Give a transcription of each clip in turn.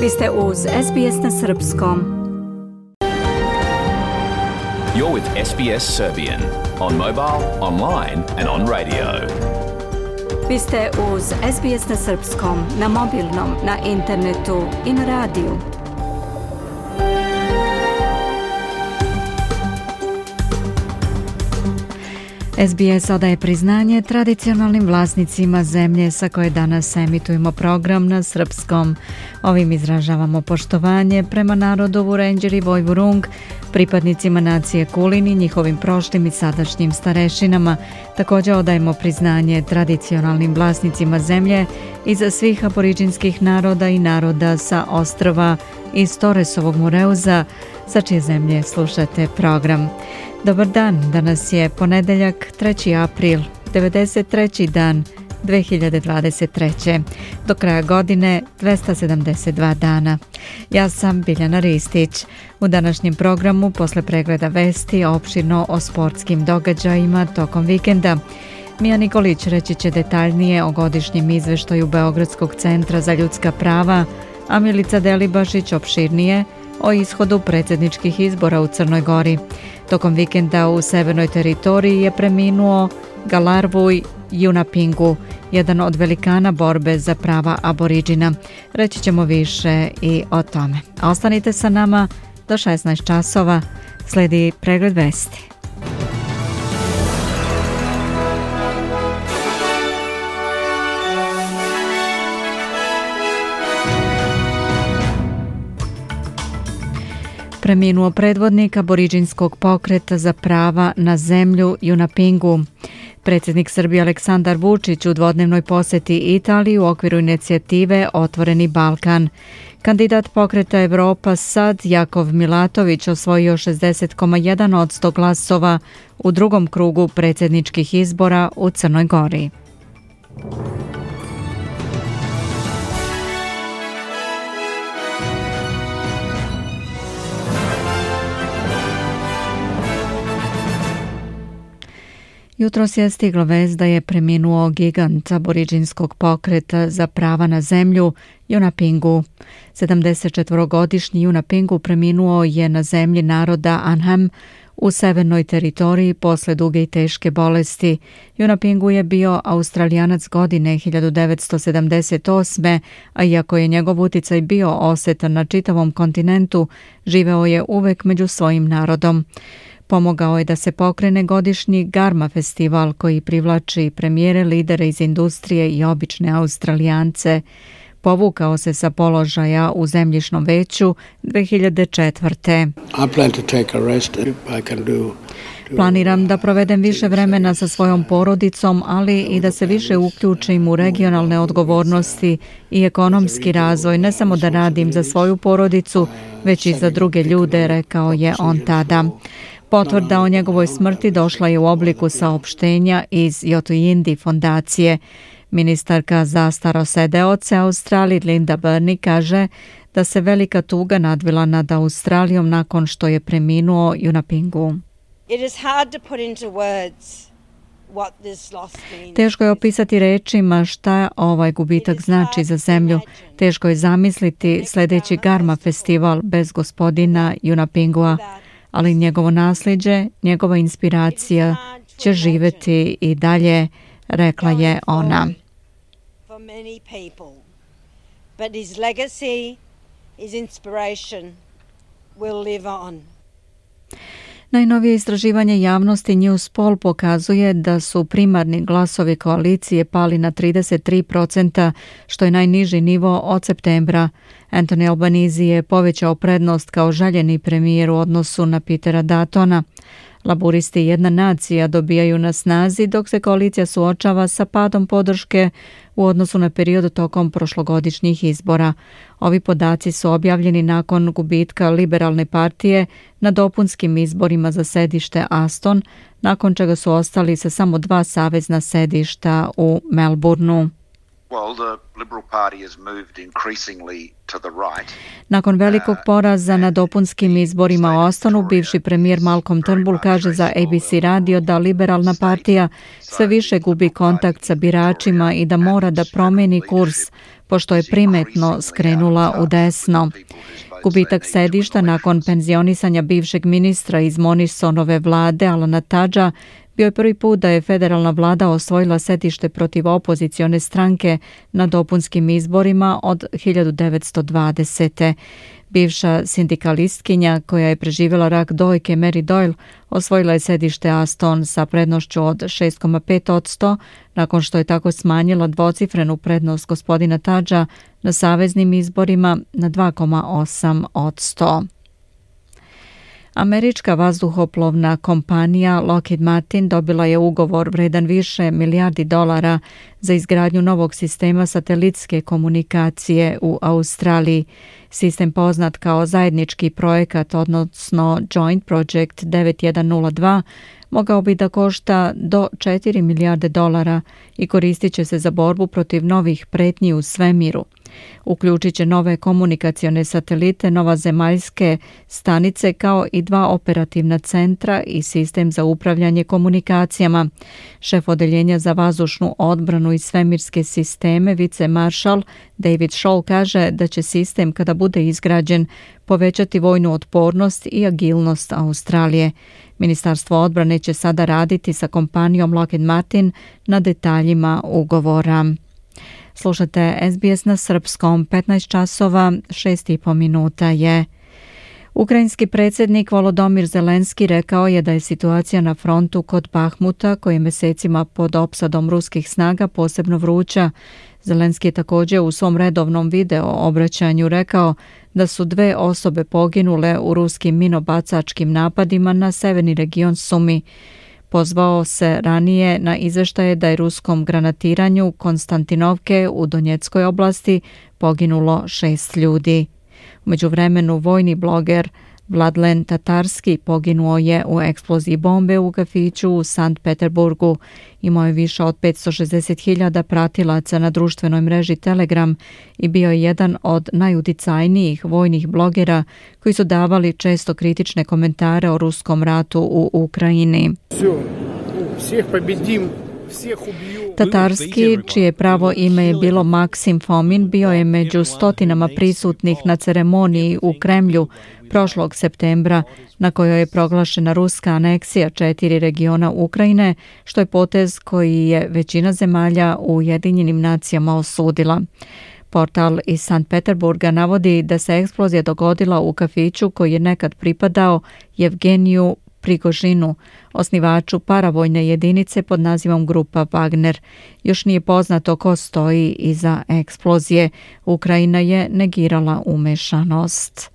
Vi ste uz SBS na Srpskom. You're with SBS Serbian on mobile, online and on radio. Vi ste uz SBS na Srpskom, na mobilnom, na internetu i na radiju. SBS odaje priznanje tradicionalnim vlasnicima zemlje sa koje danas emitujemo program na srpskom. Ovim izražavamo poštovanje prema narodu Vurenđer i Vojvurung, pripadnicima nacije Kulin i njihovim prošlim i sadašnjim starešinama. Također odajemo priznanje tradicionalnim vlasnicima zemlje i za svih aboriđinskih naroda i naroda sa ostrva iz Torresovog Mureuza, sa čije zemlje slušate program. Dobar dan, danas je ponedeljak 3. april, 93. dan 2023. Do kraja godine 272 dana. Ja sam Biljana Ristić. U današnjem programu, posle pregleda vesti, opširno o sportskim događajima tokom vikenda. Mija Nikolić reći će detaljnije o godišnjem izveštaju Beogradskog centra za ljudska prava, a Milica Delibašić opširnije o ishodu predsjedničkih izbora u Crnoj Gori. Tokom vikenda u severnoj teritoriji je preminuo Galarvuj Yunupingu, jedan od velikana borbe za prava aboriđina. Reći ćemo više i o tome. A ostanite sa nama do 16 časova. Slijedi pregled vesti. Preminuo predvodnik aboriđinskog pokreta za prava na zemlju Yunupingu. Predsjednik Srbije Aleksandar Vučić u dvodnevnoj posjeti Italiji u okviru inicijative Otvoreni Balkan. Kandidat pokreta Evropa SAD Jakov Milatović osvojio 60,1% glasova u drugom krugu predsjedničkih izbora u Crnoj Gori. Jutros je stigla vest da je preminuo gigant aboriđinskog pokreta za prava na zemlju Yunupingu. 74-godišnji Yunupingu preminuo je na zemlji naroda Anham u severnoj teritoriji posle duge i teške bolesti. Yunupingu je bio Australijanac godine 1978. a iako je njegov uticaj bio osetan na čitavom kontinentu, živeo je uvek među svojim narodom. Pomogao je da se pokrene godišnji Garma festival koji privlači premijere, lidere iz industrije i obične Australijance. Povukao se sa položaja u zemljišnom veću 2004. Planiram da provedem više vremena sa svojom porodicom, ali i da se više uključim u regionalne odgovornosti i ekonomski razvoj, ne samo da radim za svoju porodicu, već i za druge ljude, rekao je on tada. Potvrda o njegovoj smrti došla je u obliku saopštenja iz Yothu fondacije. Ministarka za starosedeoce Australije Linda Burney kaže da se velika tuga nadvila nad Australijom nakon što je preminuo Yunupingu. Teško je opisati rečima šta ovaj gubitak znači za zemlju. Teško je zamisliti sljedeći Garma festival bez gospodina Yunupingua, ali njegovo nasljeđe, njegova inspiracija će živjeti i dalje, rekla je ona. Najnovije istraživanje javnosti Newspoll pokazuje da su primarni glasovi koalicije pali na 33%, što je najniži nivo od septembra. Anthony Albanese je povećao prednost kao željeni premijer u odnosu na Petera Duttona. Laburisti i Jedna nacija dobijaju na snazi dok se koalicija suočava sa padom podrške u odnosu na period tokom prošlogodišnjih izbora. Ovi podaci su objavljeni nakon gubitka Liberalne partije na dopunskim izborima za sedište Aston, nakon čega su ostali sa samo 2 savezna sedišta u Melbourneu. Nakon velikog poraza na dopunskim izborima u Ostonu, bivši premijer Malcolm Turnbull kaže za ABC radio da liberalna partija sve više gubi kontakt sa biračima i da mora da promeni kurs, pošto je primetno skrenula u desno. Gubitak sedišta nakon penzionisanja bivšeg ministra iz Morrisonove vlade Alana Tudgea bio je prvi put da je federalna vlada osvojila sedište protiv opozicione stranke na dopunskim izborima od 1920. Bivša sindikalistkinja koja je preživjela rak dojke Mary Doyle osvojila je sedište Aston sa prednošću od 6,5% nakon što je tako smanjila dvocifrenu prednost gospodina Tudgea na saveznim izborima na 2,8%. Američka vazduhoplovna kompanija Lockheed Martin dobila je ugovor vredan više milijardi dolara za izgradnju novog sistema satelitske komunikacije u Australiji. Sistem poznat kao zajednički projekat, odnosno Joint Project 9102, mogao bi da košta do 4 milijarde dolara i koristit će se za borbu protiv novih pretnji u svemiru. Uključit će nove komunikacione satelite, novozemaljske stanice kao i 2 operativna centra i sistem za upravljanje komunikacijama. Šef odeljenja za vazdušnu odbranu i svemirske sisteme, vicemaršal David Scholl, kaže da će sistem, kada bude izgrađen, povećati vojnu otpornost i agilnost Australije. Ministarstvo odbrane će sada raditi sa kompanijom Lockheed Martin na detaljima ugovora. Slušate SBS na srpskom, 15 časova, 6,5 minuta je. Ukrajinski predsjednik Volodymyr Zelenski rekao je da je situacija na frontu kod Bahmuta, koji je mesecima pod opsadom ruskih snaga, posebno vruća. Zelenski je također u svom redovnom video obraćanju rekao da su 2 osobe poginule u ruskim minobacačkim napadima na severni region Sumi. Pozvao se ranije na izveštaje da je ruskom granatiranju Konstantinovke u Donjeckoj oblasti poginulo 6 ljudi. U međuvremenu vojni bloger Vladlen Tatarski poginuo je u eksploziji bombe u kafiću u Sankt Peterburgu. Imao je više od 560.000 pratilaca na društvenoj mreži Telegram i bio je jedan od najuticajnijih vojnih blogera koji su davali često kritične komentare o ruskom ratu u Ukrajini. Tatarski, čije pravo ime je bilo Maksim Fomin, bio je među stotinama prisutnih na ceremoniji u Kremlju prošlog septembra, na kojoj je proglašena ruska aneksija 4 regiona Ukrajine, što je potez koji je većina zemalja u Ujedinjenim nacijama osudila. Portal iz Sankt Peterburga navodi da se eksplozija dogodila u kafiću koji je nekad pripadao Jevgeniju Prigožinu, osnivaču paravojne jedinice pod nazivom Grupa Wagner. Još nije poznato ko stoji iza eksplozije. Ukrajina je negirala umešanost.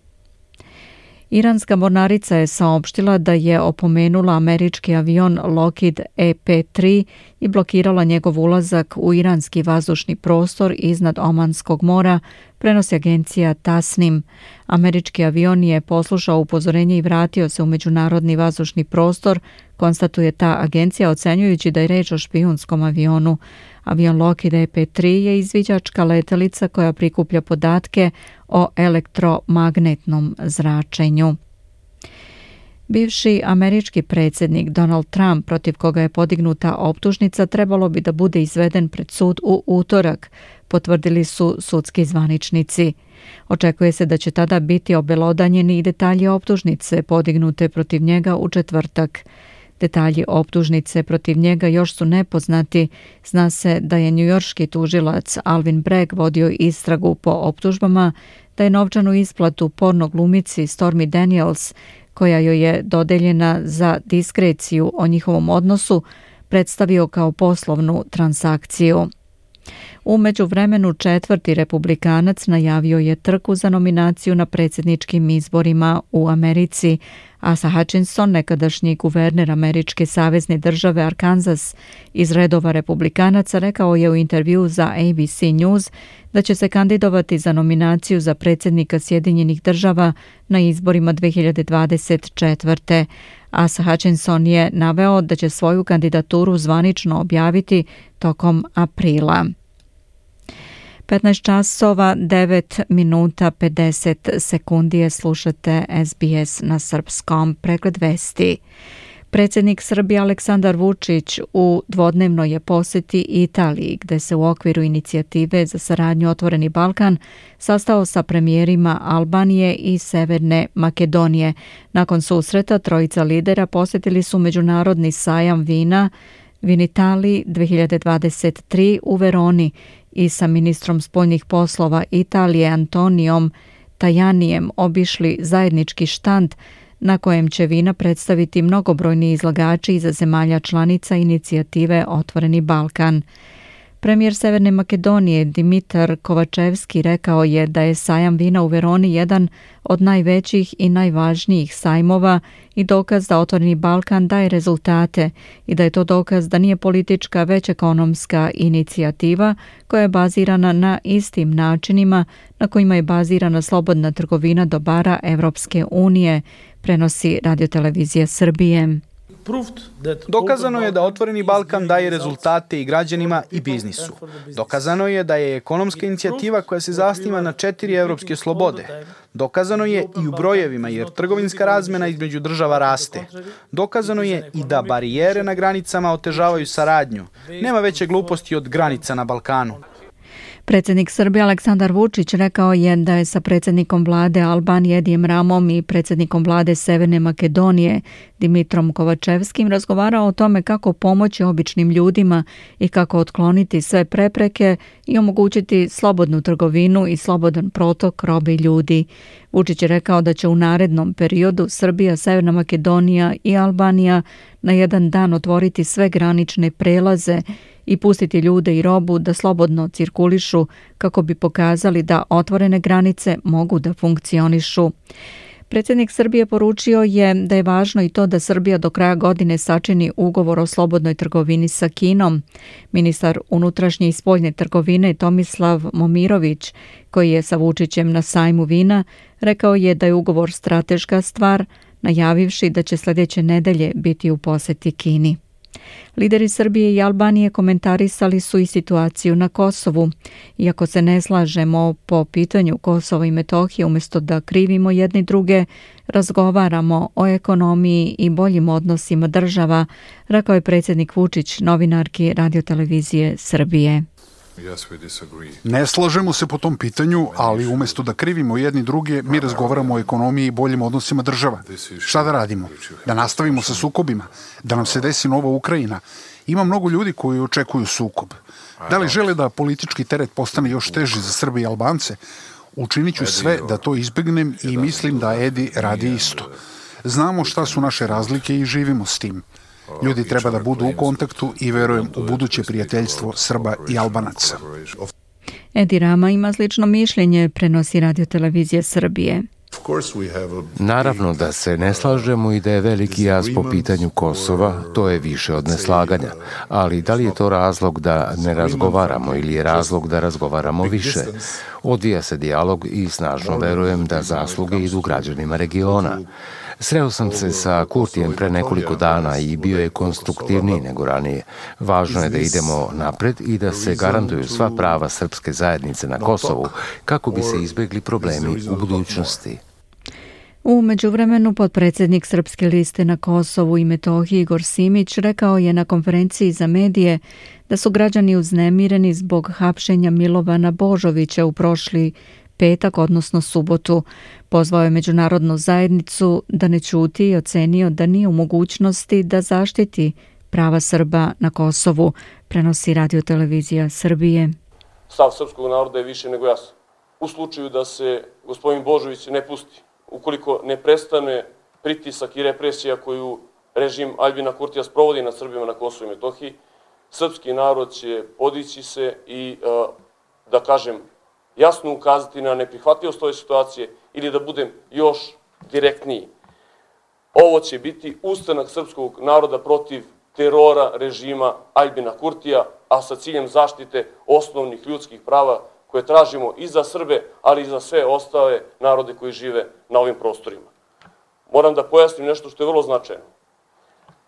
Iranska mornarica je saopštila da je opomenula američki avion Lockheed EP-3 i blokirala njegov ulazak u iranski vazdušni prostor iznad Omanskog mora, prenosi agencija Tasnim. Američki avion je poslušao upozorenje i vratio se u međunarodni vazdušni prostor, konstatuje ta agencija ocenjujući da je reč o špijunskom avionu. Avion Lockheed EP-3 je izviđačka letelica koja prikuplja podatke o elektromagnetnom zračenju. Bivši američki predsjednik Donald Trump, protiv koga je podignuta optužnica, trebalo bi da bude izveden pred sud u utorak, potvrdili su sudski zvaničnici. Očekuje se da će tada biti obelodanjeni i detalji optužnice podignute protiv njega u četvrtak. Detalji optužnice protiv njega još su nepoznati. Zna se da je njujorški tužilac Alvin Bragg vodio istragu po optužbama da je novčanu isplatu porno glumici Stormy Daniels, koja joj je dodeljena za diskreciju o njihovom odnosu, predstavio kao poslovnu transakciju. U međuvremenu 4. republikanac najavio je trku za nominaciju na predsjedničkim izborima u Americi. Asa Hutchinson, nekadašnji guverner američke savezne države Arkansas iz redova republikanaca, rekao je u intervju za ABC News da će se kandidovati za nominaciju za predsjednika Sjedinjenih država na izborima 2024. Asa Hutchinson je naveo da će svoju kandidaturu zvanično objaviti tokom aprila. 15 časova 9 minuta 50 sekundi slušate SBS na srpskom. Pregled vesti. Predsjednik Srbije Aleksandar Vučić u dvodnevnoj je posjeti Italiji, gde se u okviru inicijative za saradnju Otvoreni Balkan sastao sa premijerima Albanije i Severne Makedonije. Nakon susreta trojica lidera posjetili su međunarodni sajam vina Vinitali 2023 u Veroni i sa ministrom spoljnih poslova Italije Antonijom Tajanijem obišli zajednički štand na kojem će vina predstaviti mnogobrojni izlagači iza zemalja članica inicijative Otvoreni Balkan. Premijer Severne Makedonije Dimitar Kovačevski rekao je da je sajam vina u Veroni jedan od najvećih i najvažnijih sajmova i dokaz da Otvoreni Balkan daje rezultate i da je to dokaz da nije politička već ekonomska inicijativa koja je bazirana na istim načinima na kojima je bazirana slobodna trgovina dobara Evropske unije, prenosi Radiotelevizija Srbije. Dokazano je da Otvoreni Balkan daje rezultate i građanima i biznisu. Dokazano je da je ekonomska inicijativa koja se zasniva na 4 evropske slobode. Dokazano je i u brojevima jer trgovinska razmena između država raste. Dokazano je i da barijere na granicama otežavaju saradnju. Nema veće gluposti od granica na Balkanu. Predsjednik Srbije Aleksandar Vučić rekao je da je sa predsjednikom vlade Albanije Edijem Ramom i predsjednikom vlade Severne Makedonije Dimitrom Kovačevskim razgovarao o tome kako pomoći običnim ljudima i kako otkloniti sve prepreke i omogućiti slobodnu trgovinu i slobodan protok robe i ljudi. Vučić je rekao da će u narednom periodu Srbija, Severna Makedonija i Albanija na jedan dan otvoriti sve granične prelaze i pustiti ljude i robu da slobodno cirkulišu kako bi pokazali da otvorene granice mogu da funkcionišu. Predsjednik Srbije poručio je da je važno i to da Srbija do kraja godine sačini ugovor o slobodnoj trgovini sa Kinom. Ministar unutrašnje i spoljne trgovine Tomislav Momirović, koji je sa Vučićem na sajmu vina, rekao je da je ugovor strateška stvar, najavivši da će sljedeće nedelje biti u posjeti Kini. Lideri Srbije i Albanije komentarisali su i situaciju na Kosovu. Iako se ne slažemo po pitanju Kosova i Metohije, umjesto da krivimo jedni druge, razgovaramo o ekonomiji i boljim odnosima država, rekao je predsjednik Vučić novinarki Radiotelevizije Srbije. Ne slažemo se po tom pitanju, ali umjesto da krivimo jedni druge, mi razgovaramo o ekonomiji i boljim odnosima država. Šta da radimo? Da nastavimo sa sukobima? Da nam se desi nova Ukrajina? Ima mnogo ljudi koji očekuju sukob. Da li žele da politički teret postane još teži za Srbe i Albance? Učinit ću sve da to izbegnem i mislim da Edi radi isto. Znamo šta su naše razlike i živimo s tim. Ljudi treba da budu u kontaktu i verujem u buduće prijateljstvo Srba i Albanaca. Edi Rama ima slično mišljenje, prenosi Radiotelevizija Srbije. Naravno da se ne slažemo i da je veliki jaz po pitanju Kosova, to je više od neslaganja. Ali da li je to razlog da ne razgovaramo ili je razlog da razgovaramo više? Odvija se dijalog i snažno verujem da zasluge idu građanima regiona. Sreo sam se sa Kurtijem pre nekoliko dana i bio je konstruktivniji nego ranije. Važno je da idemo napred i da se garantuju sva prava srpske zajednice na Kosovu kako bi se izbjegli problemi u budućnosti. U međuvremenu potpredsjednik Srpske liste na Kosovu i Metohiji Igor Simić rekao je na konferenciji za medije da su građani uznemireni zbog hapšenja Milovana Božovića u prošli petak, odnosno subotu. Pozvao je međunarodnu zajednicu da ne ćuti i ocenio da nije u mogućnosti da zaštiti prava Srba na Kosovu, prenosi Radiotelevizija Srbije. Stav srpskog naroda je više nego jasan. U slučaju da se gospodin Božović ne pusti, ukoliko ne prestane pritisak i represija koju režim Aljbina Kurtija sprovodi nad Srbima na Kosovu i Metohiji, srpski narod će podići se i, da kažem, jasno ukazati na neprihvatljivost ove situacije ili da budem još direktniji. Ovo će biti ustanak srpskog naroda protiv terora režima Aljbina Kurtija, a sa ciljem zaštite osnovnih ljudskih prava koje tražimo i za Srbe, ali i za sve ostale narode koji žive na ovim prostorima. Moram da pojasnim nešto što je vrlo značajno.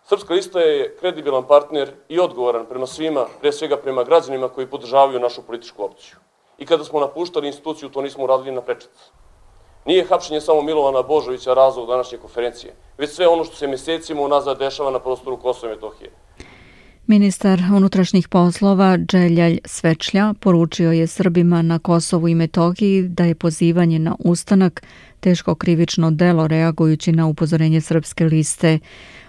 Srpska lista je kredibilan partner i odgovoran prema svima, pre svega prema građanima koji podržavaju našu političku opciju. i kada smo napuštali instituciju, to nismo uradili na prečac. Nije hapšenje samo Milovana Božovića razlog današnje konferencije, već sve ono što se mesecima unazad dešava na prostoru Kosova i Metohije. Ministar unutrašnjih poslova Dželjalj Svečlja poručio je Srbima na Kosovu i Metohiji da je pozivanje na ustanak teško krivično delo reagujući na upozorenje Srpske liste.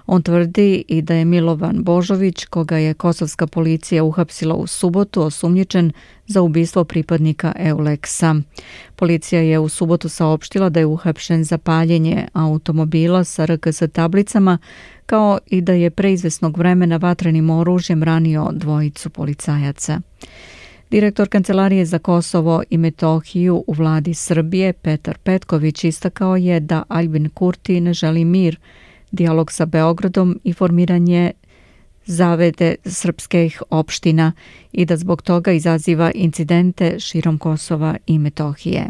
On tvrdi i da je Milovan Božović, koga je kosovska policija uhapsila u subotu, osumnjičen za ubistvo pripadnika EULEX-a. Policija je u subotu saopštila da je uhapšen za paljenje automobila sa RKS tablicama, kao i da je pre izvesnog vremena vatrenim oružjem ranio dvojicu policajaca. Direktor Kancelarije za Kosovo i Metohiju u vladi Srbije, Petar Petković, istakao je da Aljbin Kurti ne želi mir, dijalog sa Beogradom i formiranje zavede srpskih opština i da zbog toga izaziva incidente širom Kosova i Metohije.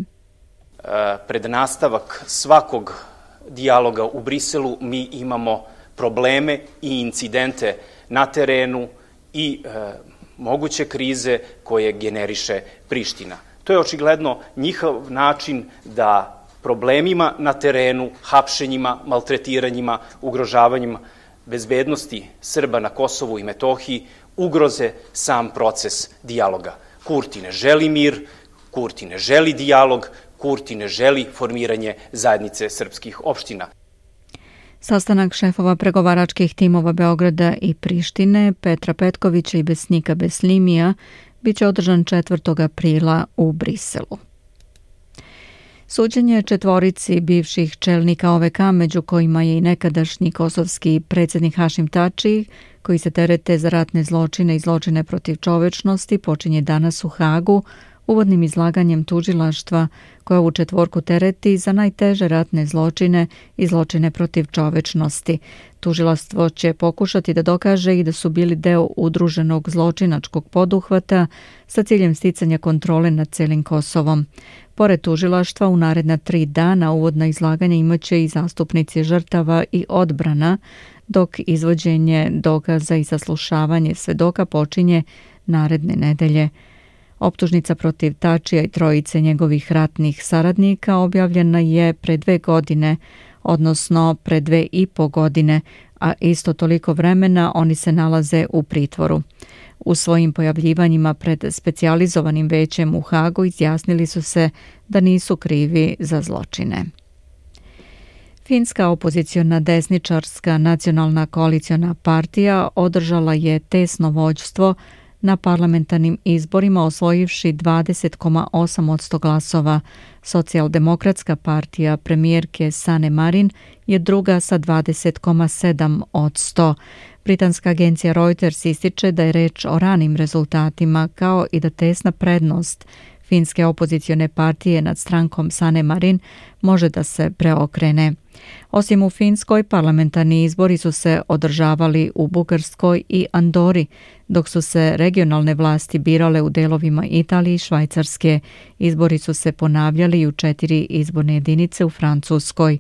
Pred nastavak svakog dijaloga u Briselu mi imamo probleme i incidente na terenu i moguće krize koje generiše Priština. To je očigledno njihov način da problemima na terenu, hapšenjima, maltretiranjima, ugrožavanjima bezbednosti Srba na Kosovu i Metohiji ugroze sam proces dijaloga. Kurti ne želi mir, Kurti ne želi dijalog, Kurti ne želi formiranje zajednice srpskih opština. Sastanak šefova pregovaračkih timova Beograda i Prištine, Petra Petkovića i Besnika Beslimija, biće održan 4. aprila u Briselu. Suđenje četvorici bivših čelnika OVK, među kojima je i nekadašnji kosovski predsjednik Hašim Tači, koji se terete za ratne zločine i zločine protiv čovečnosti, počinje danas u Hagu, uvodnim izlaganjem tužilaštva koja ovu četvorku tereti za najteže ratne zločine i zločine protiv čovečnosti. Tužilaštvo će pokušati da dokaže i da su bili deo udruženog zločinačkog poduhvata sa ciljem sticanja kontrole nad celim Kosovom. Pored tužilaštva, u naredna 3 dana uvodna izlaganja imaće i zastupnici žrtava i odbrana, dok izvođenje dokaza i saslušavanje svedoka počinje naredne nedelje. Optužnica protiv Tačija i trojice njegovih ratnih saradnika objavljena je pre 2 godine, odnosno pre 2,5 godine, a isto toliko vremena oni se nalaze u pritvoru. U svojim pojavljivanjima pred specijalizovanim većem u Hagu izjasnili su se da nisu krivi za zločine. Finska opoziciona desničarska nacionalna koaliciona partija održala je tesno vođstvo na parlamentarnim izborima, osvojivši 20,8% glasova. Socijaldemokratska partija premijerke Sanne Marin je druga sa 20,7%. Britanska agencija Reuters ističe da je reč o ranim rezultatima, kao i da tesna prednost finske opozicione partije nad strankom Sanne Marin može da se preokrene. Osim u Finskoj, parlamentarni izbori su se održavali u Bugarskoj i Andori, dok su se regionalne vlasti birale u delovima Italije i Švajcarske. Izbori su se ponavljali u 4 izborne jedinice u Francuskoj.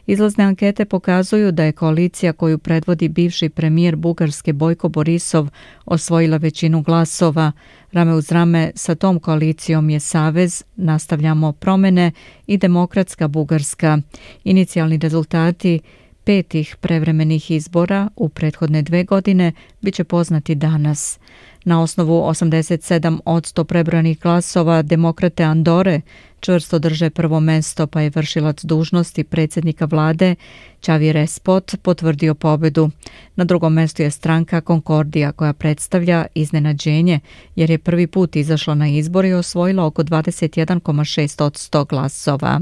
Izlazne ankete pokazuju da je koalicija koju predvodi bivši premijer Bugarske Bojko Borisov osvojila većinu glasova. Rame uz rame sa tom koalicijom je Savez Nastavljamo promene i Demokratska Bugarska. Inicijalni rezultati 5 prevremenih izbora u prethodne 2 godine biće poznati danas. Na osnovu 87% prebrojanih glasova Demokrate Andore čvrsto drže prvo mesto, pa je vršilac dužnosti predsjednika vlade Xavier Espot potvrdio pobedu. Na drugom mestu je stranka Konkordija, koja predstavlja iznenađenje jer je prvi put izašla na izbor i osvojila oko 21,6% glasova.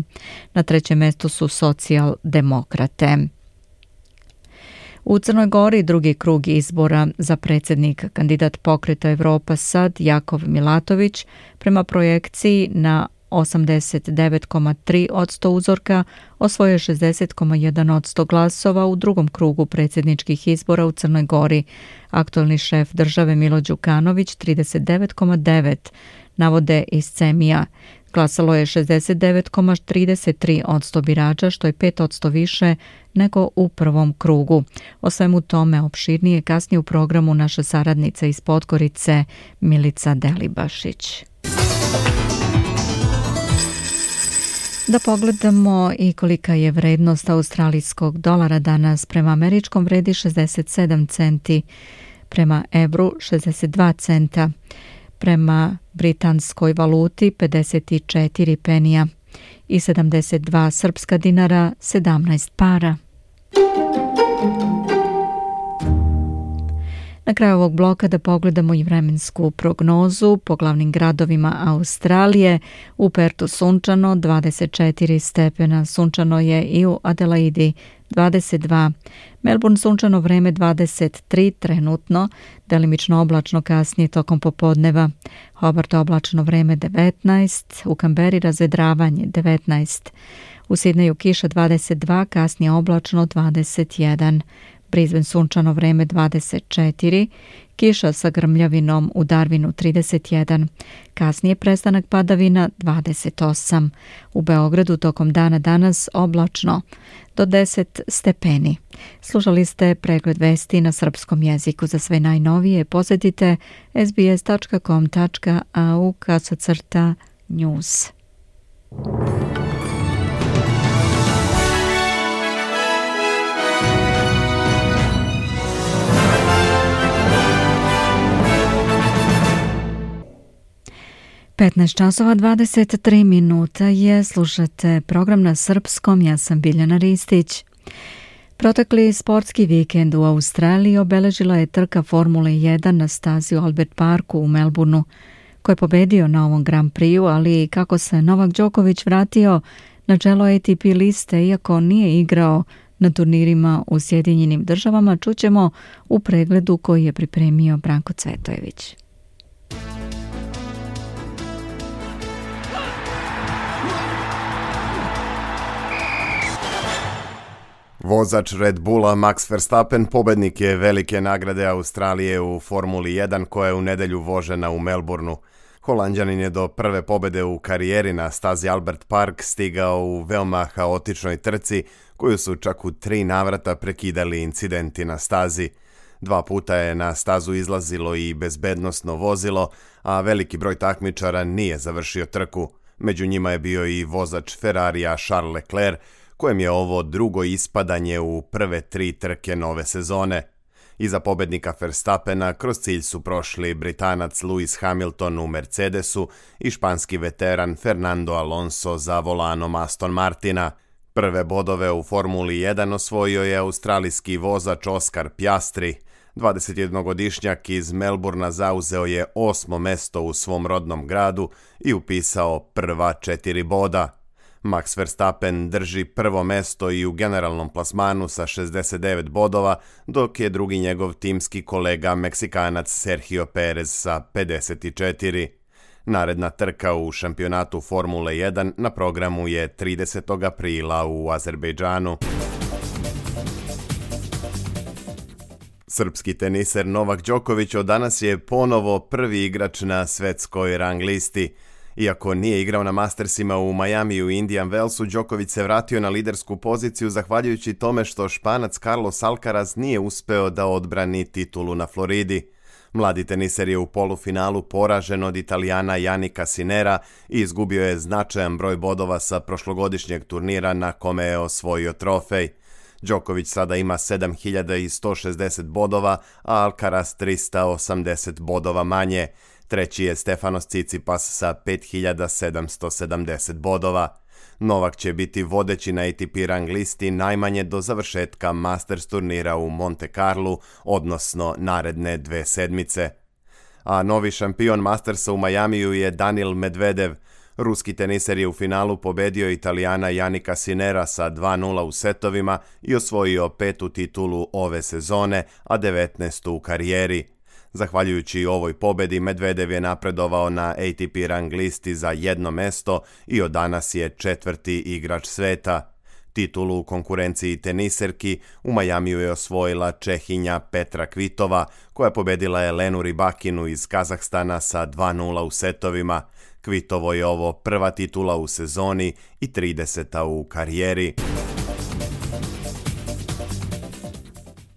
Na trećem mestu su socijaldemokrate. U Crnoj Gori drugi krug izbora za predsjednika. Kandidat Pokreta Evropa Sad Jakov Milatović prema projekciji na 89,3% uzorka osvojio 60,1% glasova u drugom krugu predsjedničkih izbora u Crnoj Gori. Aktualni šef države Milo Đukanović 39,9% navode iz CEMIA. Glasalo je 69,33% birača, što je 5% više nego u prvom krugu. O svemu tome opširnije kasnije u programu naša saradnica iz Podgorice Milica Delibašić. Da pogledamo i kolika je vrednost australijskog dolara danas. Prema američkom vredi 67 centi, prema evru 62 centa, prema britanskoj valuti 54 penija i 72 srpska dinara 17 para. Na kraju ovog bloka da pogledamo i vremensku prognozu po glavnim gradovima Australije. U Pertu sunčano 24 stepena, sunčano je i u Adelaidi 22, Melbourne sunčano vreme 23 trenutno, delimično oblačno kasnije tokom popodneva, Hobart oblačno vreme 19, u Kamberi razvedravanje 19, u Sidneju kiša 22, kasnije oblačno 21, Brisbane sunčano vreme 24, kiša sa grmljavinom u Darwinu 31, kasnije prestanak padavina 28. U Beogradu tokom dana danas oblačno do 10 stepeni. Slušali ste pregled vesti na srpskom jeziku. Za sve najnovije posjetite sbs.com.au/news. časova 23 minuta je, slušate program na srpskom, ja sam Biljana Ristić. Protekli sportski vikend u Australiji obeležila je trka Formule 1 na stazi u Albert Parku u Melbourneu, koji je pobedio na ovom Grand Prixu, ali i kako se Novak Đoković vratio na čelo ATP liste, iako nije igrao na turnirima u Sjedinjenim Državama, čućemo u pregledu koji je pripremio Branko Cvetojević. Vozač Red Bulla Max Verstappen pobednik je velike nagrade Australije u Formuli 1 koja je u nedelju vožena u Melbourneu. Holanđanin je do prve pobede u karijeri na stazi Albert Park stigao u veoma haotičnoj trci koju su čak u 3 navrata prekidali incidenti na stazi. 2 puta je na stazu izlazilo i bezbednosno vozilo, a veliki broj takmičara nije završio trku. Među njima je bio i vozač Ferrarija Charles Leclerc, kojem je ovo drugo ispadanje u prve 3 trke nove sezone. Iza pobednika Verstappena kroz cilj su prošli Britanac Lewis Hamilton u Mercedesu i španski veteran Fernando Alonso za volanom Aston Martina. Prve bodove u Formuli 1 osvojio je australijski vozač Oscar Piastri. 21-godišnjak iz Melbournea zauzeo je 8. mesto u svom rodnom gradu i upisao prva 4 boda. Max Verstappen drži prvo mesto i u generalnom plasmanu sa 69 bodova, dok je drugi njegov timski kolega Meksikanac Sergio Perez sa 54. Naredna trka u šampionatu Formule 1 na programu je 30. aprila u Azerbejdžanu. Srpski teniser Novak Đoković od danas je ponovo prvi igrač na svetskoj rang listi. Iako nije igrao na Mastersima u Majamiju i Indian Wellsu, Đoković se vratio na lidersku poziciju zahvaljujući tome što Španac Carlos Alcaraz nije uspeo da odbrani titulu na Floridi. Mladi teniser je u polufinalu poražen od Italijana Jannika Sinera i izgubio je značajan broj bodova sa prošlogodišnjeg turnira na kome je osvojio trofej. Đoković sada ima 7160 bodova, a Alcaraz 380 bodova manje. Treći je Stefanos Tsitsipas sa 5770 bodova. Novak će biti vodeći na ATP rang listi najmanje do završetka Masters turnira u Monte Carlu, odnosno naredne 2 sedmice. A novi šampion Mastersa u Majamiju je Daniil Medvedev. Ruski teniser je u finalu pobedio Italijana Jannika Sinera sa 2:0 u setovima i osvojio 5. titulu ove sezone, a 19. u karijeri. Zahvaljujući ovoj pobedi, Medvedev je napredovao na ATP rang listi za 1 mesto i od danas je 4. igrač sveta. Titulu u konkurenciji teniserki u Majamiju je osvojila Čehinja Petra Kvitova, koja je pobedila Elenu Rybakinu iz Kazahstana sa 2:0 u setovima. Kvitovo je ovo prva titula u sezoni i 30. u karijeri.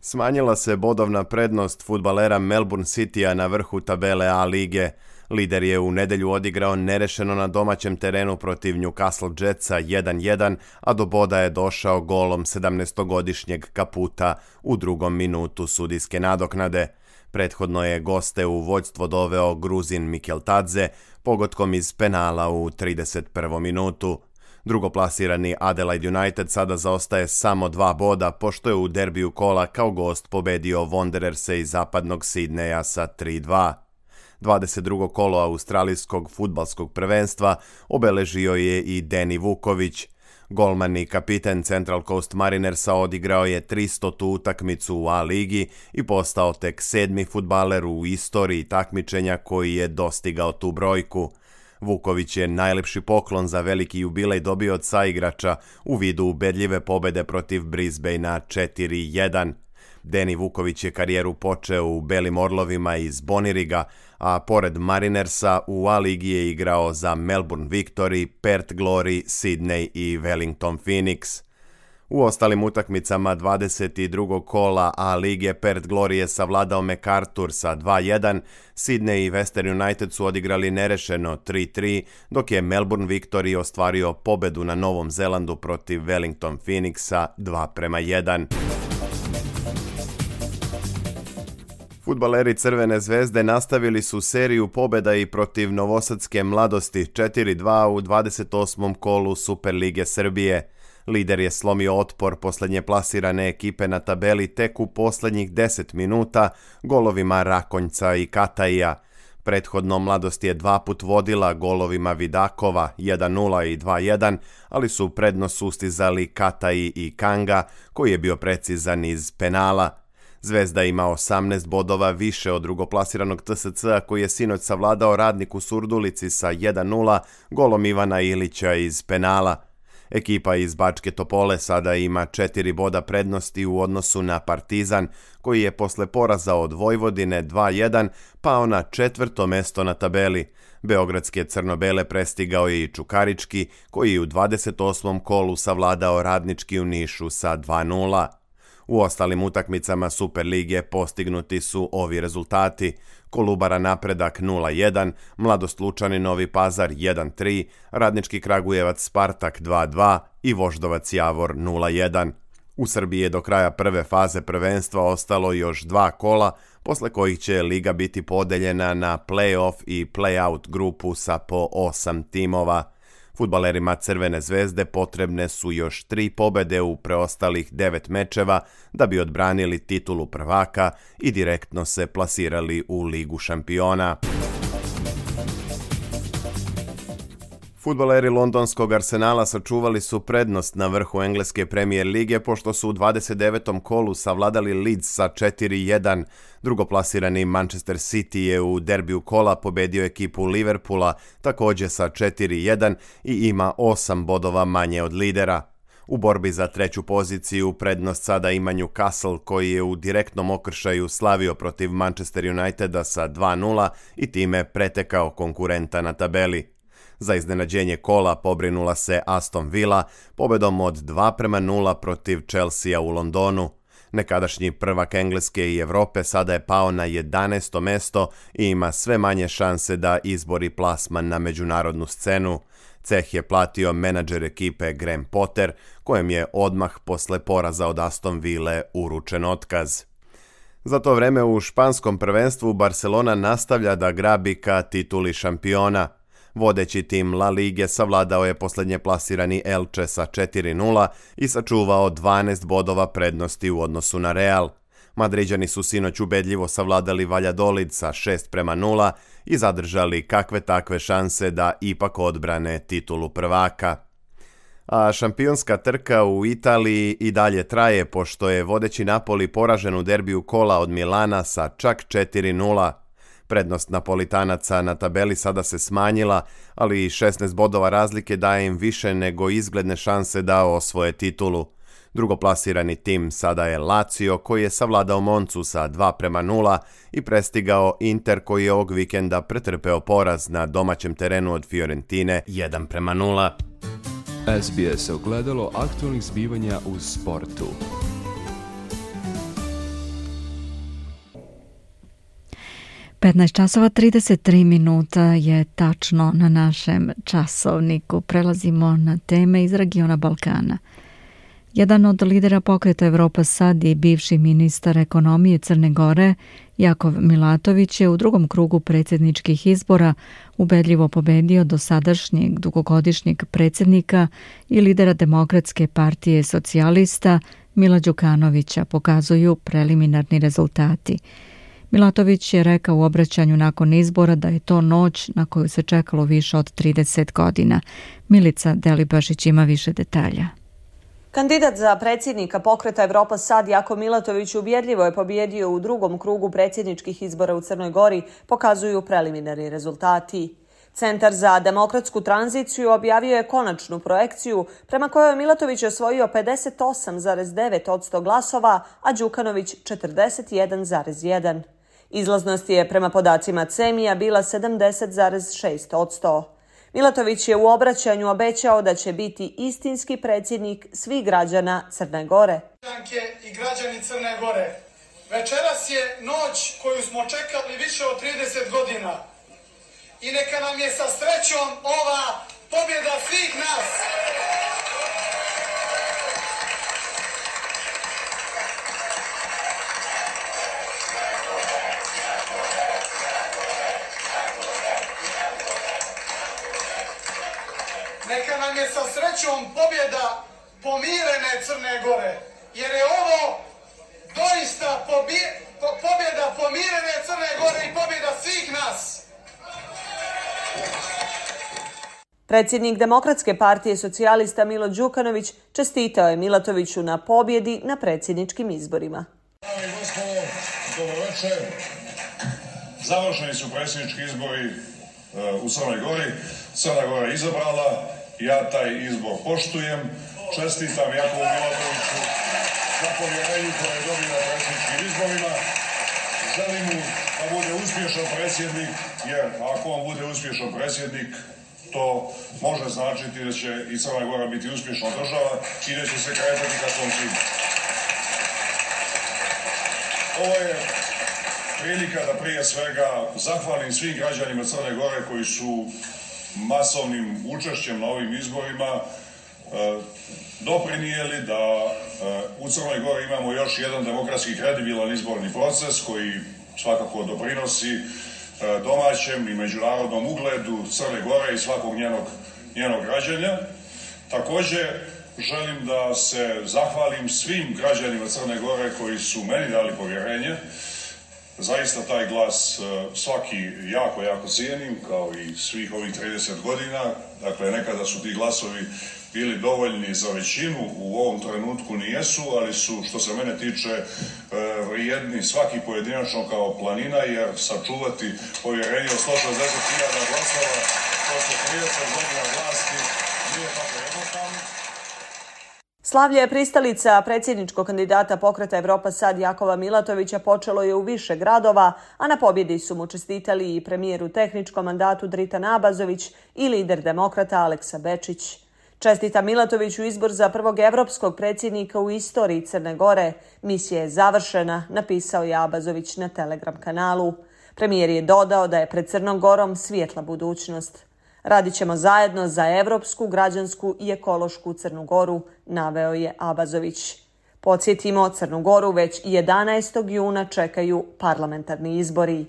Smanjila se bodovna prednost fudbalera Melbourne Citya na vrhu tabele A lige. Lider je u nedelju odigrao nerešeno na domaćem terenu protiv Newcastle Jetsa 1-1, a do boda je došao golom 17-godišnjeg Kaputa u 2. minutu sudijske nadoknade. Prethodno je goste u vođstvo doveo Gruzin Mikeltadze pogodkom iz penala u 31. minutu. Drugoplasirani Adelaide United sada zaostaje samo 2 boda, pošto je u derbiju kola kao gost pobedio Wandererse iz zapadnog Sidneja sa 3-2. 22. kolo australijskog fudbalskog prvenstva obeležio je i Deni Vuković. Golman i kapiten Central Coast Marinersa odigrao je 300. utakmicu u A-ligi i postao tek 7. fudbaler u istoriji takmičenja koji je dostigao tu brojku. Vuković je najlepši poklon za veliki jubilej dobio od saigrača u vidu ubedljive pobede protiv Brisbanea 4-1. Deni Vuković je karijeru počeo u Belim Orlovima iz Boniriga, a pored Marinersa u A-ligi je igrao za Melbourne Victory, Perth Glory, Sydney i Wellington Phoenix. U ostalim utakmicama 22. kola A-lige Perth Glory je savladao MacArthur sa 2-1, Sydney i Western United su odigrali nerešeno 3-3, dok je Melbourne Victory ostvario pobedu na Novom Zelandu protiv Wellington Phoenixa 2-1. Fudbaleri Crvene zvezde nastavili su seriju pobjeda i protiv Novosadske Mladosti 4-2 u 28. kolu Superlige Srbije. Lider je slomio otpor posljednje plasirane ekipe na tabeli tek u posljednjih 10 minuta golovima Rakonjca i Kataija. Prethodno Mladost je 2 put vodila golovima Vidakova 1-0 i 2-1, ali su prednost sustizali Kataji i Kanga, koji je bio precizan iz penala. Zvezda ima 18 bodova više od drugoplasiranog TSC-a koji je sinoć savladao Radnik u Surdulici sa 1-0 golom Ivana Ilića iz penala. Ekipa iz Bačke Topole sada ima 4 boda prednosti u odnosu na Partizan, koji je posle poraza od Vojvodine 2-1 pao na 4. mesto na tabeli. Beogradske crno-bele prestigao je i Čukarički, koji je u 28. kolu savladao Radnički u Nišu sa 2-0. U ostalim utakmicama Superlige postignuti su ovi rezultati: Kolubara Napredak 0-1, Mladost Lučani Novi Pazar 1-3, Radnički Kragujevac Spartak 2-2 i Voždovac Javor 0-1. U Srbiji je do kraja prve faze prvenstva ostalo još 2 kola, posle kojih će liga biti podeljena na play-off i play-out grupu sa po 8 timova. Fudbalerima Crvene zvezde potrebne su još 3 pobede u preostalih 9 mečeva da bi odbranili titulu prvaka i direktno se plasirali u Ligu šampiona. Fudbaleri londonskog Arsenala sačuvali su prednost na vrhu engleske Premier lige pošto su u 29. kolu savladali Leeds sa 4-1. Drugoplasirani Manchester City je u derbiju kola pobedio ekipu Liverpoola također sa 4-1 i ima 8 bodova manje od lidera. U borbi za 3. poziciju prednost sada ima Newcastle, koji je u direktnom okršaju slavio protiv Manchester Uniteda sa 2-0 i time pretekao konkurenta na tabeli. Za iznenađenje kola pobrinula se Aston Villa pobedom od 2-0 protiv Chelsea u Londonu. Nekadašnji prvak Engleske i Evrope sada je pao na 11. mesto i ima sve manje šanse da izbori plasman na međunarodnu scenu. Ceh je platio menadžer ekipe Graham Potter, kojem je odmah posle poraza od Aston Ville uručen otkaz. Za to vreme u španskom prvenstvu Barcelona nastavlja da grabi ka tituli šampiona. Vodeći tim La Lige savladao je posljednje plasirani Elche sa 4-0 i sačuvao 12 bodova prednosti u odnosu na Real. Madriđani su sinoć ubedljivo savladali Valladolid sa 6-0 i zadržali kakve takve šanse da ipak odbrane titulu prvaka. A šampionska trka u Italiji i dalje traje pošto je vodeći Napoli poražen u derbiju kola od Milana sa čak 4-0. Prednost Napolitanaca na tabeli sada se smanjila, ali 16 bodova razlike daje im više nego izgledne šanse da osvoje titulu. Drugoplasirani tim sada je Lazio, koji je savladao Moncu sa 2-0 i prestigao Inter, koji je ovog vikenda pretrpeo poraz na domaćem terenu od Fiorentine 1-0. SBS ogledalo aktualnih zbivanja u sportu. 15 časova 33 minuta je tačno na našem časovniku. Prelazimo na teme iz regiona Balkana. Jedan od lidera pokreta Evropa sad i bivši ministar ekonomije Crne Gore, Jakov Milatović, je u drugom krugu predsjedničkih izbora ubedljivo pobedio dosadašnjeg dugogodišnjeg predsjednika i lidera Demokratske partije socijalista Mila Đukanovića, pokazuju preliminarni rezultati. Milatović je rekao u obraćanju nakon izbora da je to noć na koju se čekalo više od 30 godina. Milica Delibašić ima više detalja. Kandidat za predsjednika pokreta Evropa sad, Jakov Milatović, ubjedljivo je pobjedio u drugom krugu predsjedničkih izbora u Crnoj Gori, pokazuju preliminarni rezultati. Centar za demokratsku tranziciju objavio je konačnu projekciju prema kojoj je Milatović osvojio 58,9% glasova, a Đukanović 41,1%. Izlaznost je prema podacima CEMI-a bila 70,6%. Milatović je u obraćanju obećao da će biti istinski predsjednik svih građana Crne Gore. I građani Crne Gore, večeras je noć koju smo čekali više od 30 godina. I neka nam je sa srećom ova pobjeda svih nas. Neka nam je sa srećom pobjeda pomirene Crne Gore, jer je ovo doista pobjeda pomirene Crne Gore i pobjeda svih nas. Predsjednik Demokratske partije socijalista Milo Đukanović čestitao je Milatoviću na pobjedi na predsjedničkim izborima. Dame i gospodo, dobroveče. Završeni su predsjednički izbori u Crnoj Gori. Crna Gora je izabrala, ja taj izbor poštujem. Čestitam Jakovu Milatoviću za povjerenju koje je dobio na predsjedničkim izborima. Želim mu da bude uspješan predsjednik, jer ako on bude uspješan predsjednik, to može značiti da će i Crna Gora biti uspješna država i da će se kretati ka svom cilju. Ovo je prilika da prije svega zahvalim svim građanima Crne Gore koji su masovnim učešćem na ovim izborima doprinijeli da u Crnoj Gori imamo još jedan demokratski kredibilan izborni proces koji svakako doprinosi domaćem i međunarodnom ugledu Crne Gore i svakog njenog građanja. Također želim da se zahvalim svim građanima Crne Gore koji su meni dali povjerenje. Zaista taj glas svaki jako cijenim, kao i svih ovih 30 godina. Dakle, nekada su ti glasovi bili dovoljni za većinu, u ovom trenutku nijesu, ali su, što se mene tiče, vrijedni svaki pojedinačno kao planina, jer sačuvati povjerenje od 160.000 glasova posle 30 godina vlasti nije tako jednostavno. Slavlje pristalica predsjedničkog kandidata pokreta Evropa sad Jakova Milatovića počelo je u više gradova, a na pobjedi su mu čestitali i premijer u tehničkom mandatu Dritan Abazović i lider demokrata Aleksa Bečić. Čestita Milatoviću izbor za prvog evropskog predsjednika u istoriji Crne Gore. Misija je završena, napisao je Abazović na Telegram kanalu. Premijer je dodao da je pred Crnom Gorom svijetla budućnost. Radit ćemo zajedno za evropsku, građansku i ekološku Crnu Goru, naveo je Abazović. Podsjetimo, Crnu Goru već 11. juna čekaju parlamentarni izbori.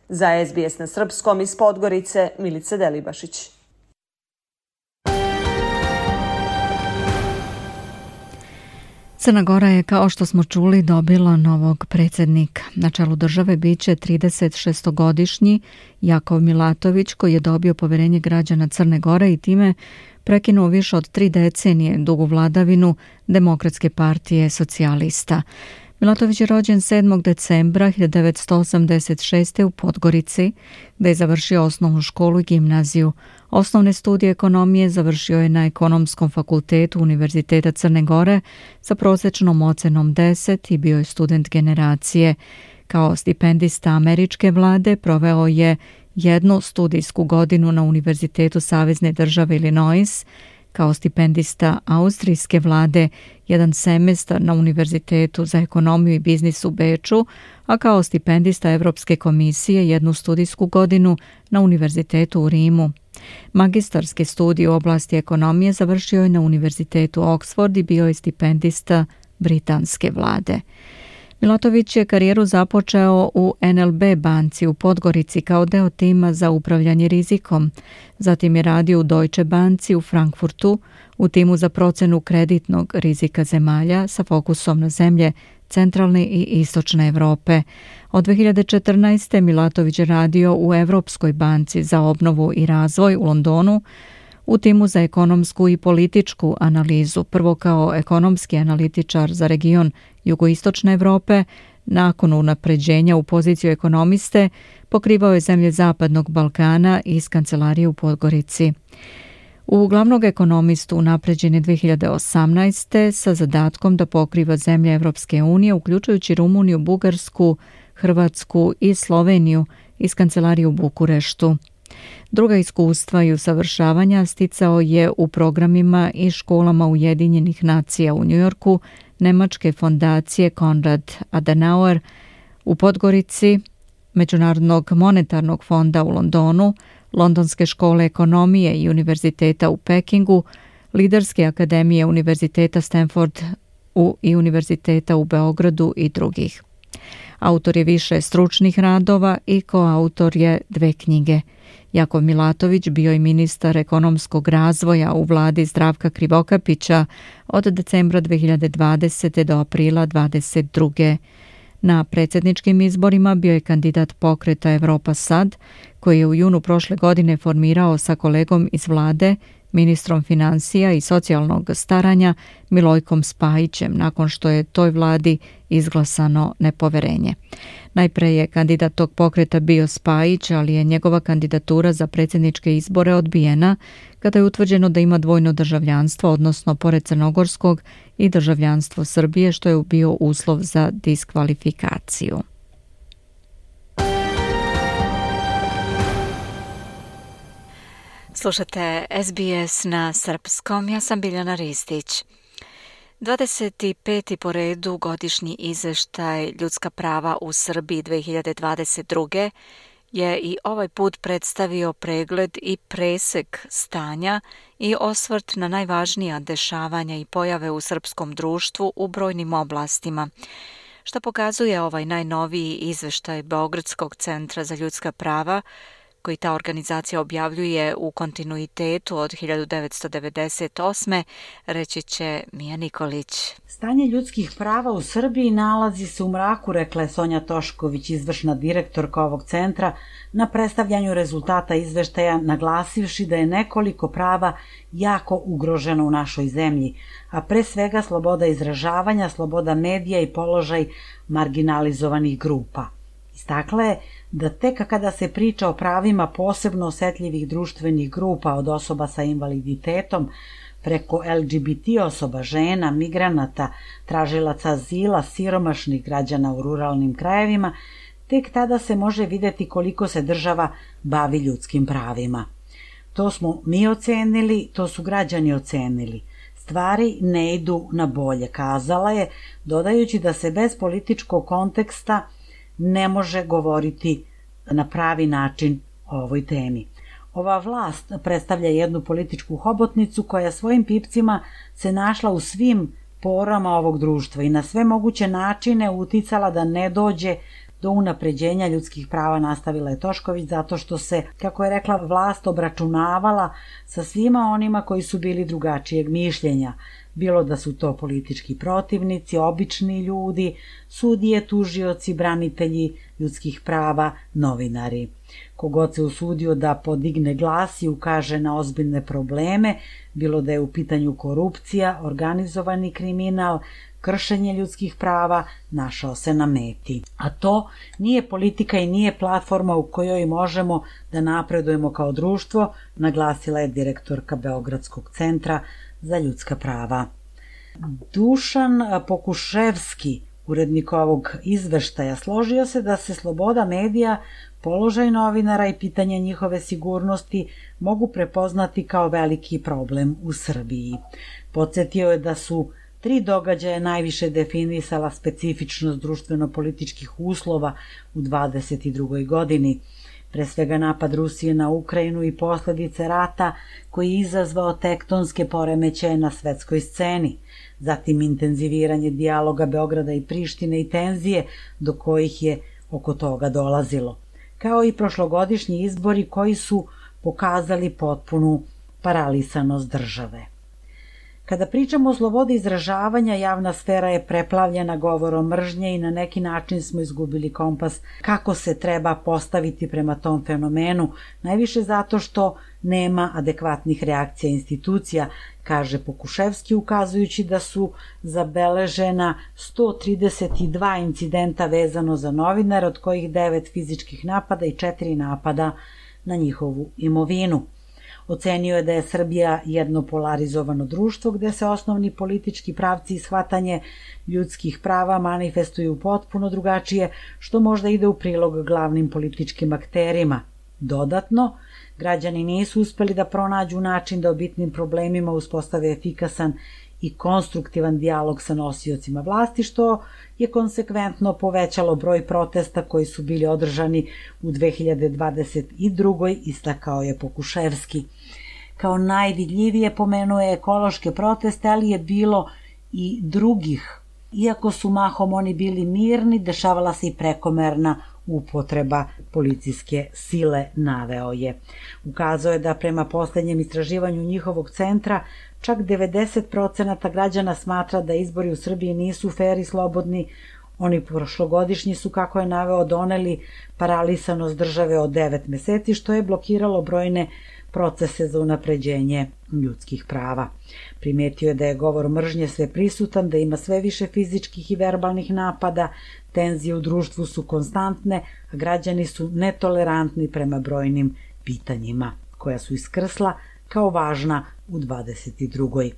Za SBS na srpskom iz Podgorice, Milica Delibašić. Crna Gora je, kao što smo čuli, dobila novog predsjednika. Na čelu države biće 36-godišnji Jakov Milatović, koji je dobio povjerenje građana Crne Gore i time prekinuo više od 3 decenije dugu vladavinu Demokratske partije socijalista. Milatović je rođen 7. decembra 1986. u Podgorici, gdje je završio osnovnu školu i gimnaziju. Osnovne studije ekonomije završio je na Ekonomskom fakultetu Univerziteta Crne Gore sa prosječnom ocenom 10 i bio je student generacije. Kao stipendista američke vlade proveo je jednu studijsku godinu na Univerzitetu Savezne države Illinois. kao stipendista austrijske vlade jedan semestar na Univerzitetu za ekonomiju i biznis u Beču, a kao stipendista Evropske komisije jednu studijsku godinu na Univerzitetu u Rimu. Magistarske studije u oblasti ekonomije završio je na Univerzitetu Oxford i bio je stipendista britanske vlade. Milatović je karijeru započeo u NLB banci u Podgorici kao deo tima za upravljanje rizikom. Zatim je radio u Deutsche banci u Frankfurtu u timu za procenu kreditnog rizika zemalja sa fokusom na zemlje centralne i istočne Evrope. Od 2014. Milatović je radio u Evropskoj banci za obnovu i razvoj u Londonu u timu za ekonomsku i političku analizu, prvo kao ekonomski analitičar za region jugoistočne Evrope. Nakon unapređenja u poziciju ekonomiste pokrivao je zemlje Zapadnog Balkana iz kancelarije u Podgorici. U glavnog ekonomistu unapređen je 2018. sa zadatkom da pokriva zemlje Evropske unije, uključujući Rumuniju, Bugarsku, Hrvatsku i Sloveniju iz kancelarije u Bukureštu. Druga iskustva i usavršavanja sticao je u programima i školama Ujedinjenih nacija u Njujorku, Nemačke fondacije Konrad Adenauer u Podgorici, Međunarodnog monetarnog fonda u Londonu, Londonske škole ekonomije i univerziteta u Pekingu, Liderske akademije Univerziteta Stanford i Univerziteta u Beogradu i drugih. Autor je više stručnih radova i koautor je 2 knjige. Jakov Milatović bio je ministar ekonomskog razvoja u vladi Zdravka Krivokapića od decembra 2020. do aprila 2022. Na predsjedničkim izborima bio je kandidat pokreta Evropa Sad, koji je u junu prošle godine formirao sa kolegom iz vlade, ministrom financija i socijalnog staranja Milojkom Spajićem, nakon što je toj vladi izglasano nepoverenje. Najpre je kandidat tog pokreta bio Spajić, ali je njegova kandidatura za predsjedničke izbore odbijena kada je utvrđeno da ima dvojno državljanstvo, odnosno pored crnogorskog i državljanstvo Srbije, što je bio uslov za diskvalifikaciju. Slušate SBS na srpskom, ja sam Biljana Ristić. 25. po redu godišnji izveštaj ljudska prava u Srbiji 2022. je i ovaj put predstavio pregled i presek stanja i osvrt na najvažnija dešavanja i pojave u srpskom društvu u brojnim oblastima. Što pokazuje ovaj najnoviji izveštaj Beogradskog centra za ljudska prava, koji ta organizacija objavljuje u kontinuitetu od 1998. reći će Mija Nikolić. Stanje ljudskih prava u Srbiji nalazi se u mraku, rekla je Sonja Tošković, izvršna direktorka ovog centra, na predstavljanju rezultata izveštaja, naglasivši da je nekoliko prava jako ugroženo u našoj zemlji, a pre svega sloboda izražavanja, sloboda medija i položaj marginalizovanih grupa. Istakla je da tek kada se priča o pravima posebno osetljivih društvenih grupa, od osoba sa invaliditetom preko LGBT osoba, žena, migranata, tražilaca azila, siromašnih građana u ruralnim krajevima, tek tada se može videti koliko se država bavi ljudskim pravima. To smo mi ocenili, to su građani ocenili. Stvari ne idu na bolje, kazala je, dodajući da se bez političkog konteksta ne može govoriti na pravi način o ovoj temi. Ova vlast predstavlja jednu političku hobotnicu koja svojim pipcima se našla u svim porama ovog društva i na sve moguće načine uticala da ne dođe do unapređenja ljudskih prava, nastavila je Tošković, zato što se, kako je rekla, vlast obračunavala sa svima onima koji su bili drugačijeg mišljenja, bilo da su to politički protivnici, obični ljudi, sudije, tužioci, branitelji ljudskih prava, novinari. Kogod se usudio da podigne glas i ukaže na ozbiljne probleme, bilo da je u pitanju korupcija, organizovani kriminal, kršenje ljudskih prava, našao se na meti. A to nije politika i nije platforma u kojoj možemo da napredujemo kao društvo, naglasila je direktorka Beogradskog centra za ljudska prava. Dušan Pokuševski, Urednik ovog izveštaja složio se da se sloboda medija, položaj novinara i pitanje njihove sigurnosti mogu prepoznati kao veliki problem u Srbiji. Podsjetio je da su 3 događaja najviše definisala specifičnost društveno-političkih uslova u 22. godini. Pre svega napad Rusije na Ukrajinu i posledice rata koji je izazvao tektonske poremećaje na svetskoj sceni, zatim intenziviranje dijaloga Beograda i Prištine i tenzije do kojih je oko toga dolazilo, kao i prošlogodišnji izbori koji su pokazali potpunu paralisanost države. Kada pričamo o slobodi izražavanja, javna sfera je preplavljena govorom mržnje i na neki način smo izgubili kompas kako se treba postaviti prema tom fenomenu, najviše zato što nema adekvatnih reakcija institucija, kaže Pokuševski, ukazujući da su zabeležena 132 incidenta vezano za novinare, od kojih 9 fizičkih napada i 4 napada na njihovu imovinu. Ocenio je da je Srbija jedno polarizovano društvo gde se osnovni politički pravci i shvatanje ljudskih prava manifestuju potpuno drugačije, što možda ide u prilog glavnim političkim akterima. Dodatno, građani nisu uspeli da pronađu način da o bitnim problemima uspostave efikasan i konstruktivan dijalog sa nosiocima vlasti, što je konsekventno povećalo broj protesta koji su bili održani u 2022. istakao je Pokuševski. Kao najvidljivije pomenuo je ekološke proteste, ali je bilo i drugih. Iako su mahom oni bili mirni, dešavala se i prekomerna upotreba policijske sile, naveo je. Ukazao je da prema poslednjem istraživanju njihovog centra čak 90% građana smatra da izbori u Srbiji nisu fer i slobodni. Oni prošlogodišnji su, kako je naveo, doneli paralisanost države od 9 meseci, što je blokiralo brojne procese za unapređenje ljudskih prava. Primetio je da je govor mržnje sve prisutan, da ima sve više fizičkih i verbalnih napada, tenzije u društvu su konstantne, a građani su netolerantni prema brojnim pitanjima, koja su iskrsla kao važna u 22.